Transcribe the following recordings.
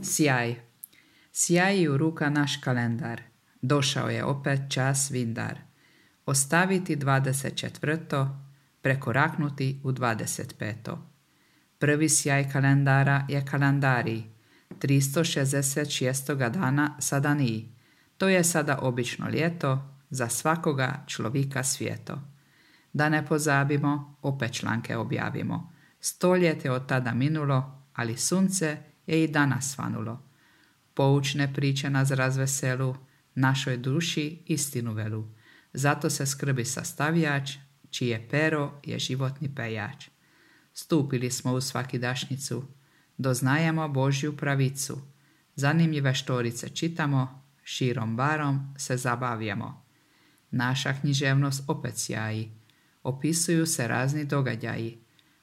Sjaj. Sjaji u ruka naš kalendar. Došao je opet čas vindar. Ostaviti 24. Prekoraknuti u 25. Prvi sjaj kalendara je kalendarij. 366. dana sada nije. To je sada obično ljeto, za svakoga človika svijeto. Da ne pozabimo, opet članke objavimo. 100 let je od tada minulo, ali sunce je i danas svanulo. Poučne priče nas razveselu, našoj duši istinu velu. Zato se skrbi sastavljač, čije pero je životni pejač. Stupili smo u svakidašnjicu, doznajemo Božju pravicu. Zanimljive štorice čitamo, širom barom se zabavljamo. Naša književnost opet sjaji, opisuju se razni događaji,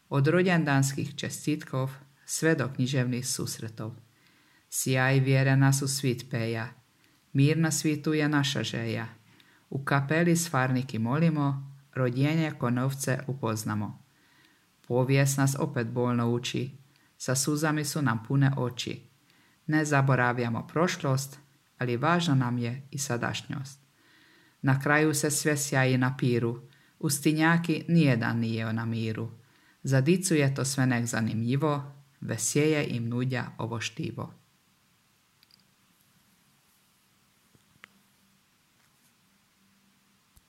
od rođendanskih čestitkov sve do književnih susretov. Sjaj vjere nas u svit peja, mir na svitu je naša želja. U kapeli Svarniki molimo, rodjenje ko novce upoznamo. Povijest nas opet bolno uči, sa suzami su nam pune oči. Ne zaboravljamo prošlost, ali važna nam je i sadašnjost. Na kraju se sve sjaji na piru, u stinjaki nijedan nije na miru. Za dicu je to sve nek zanimljivo, vesjeje im nudja ovo štivo.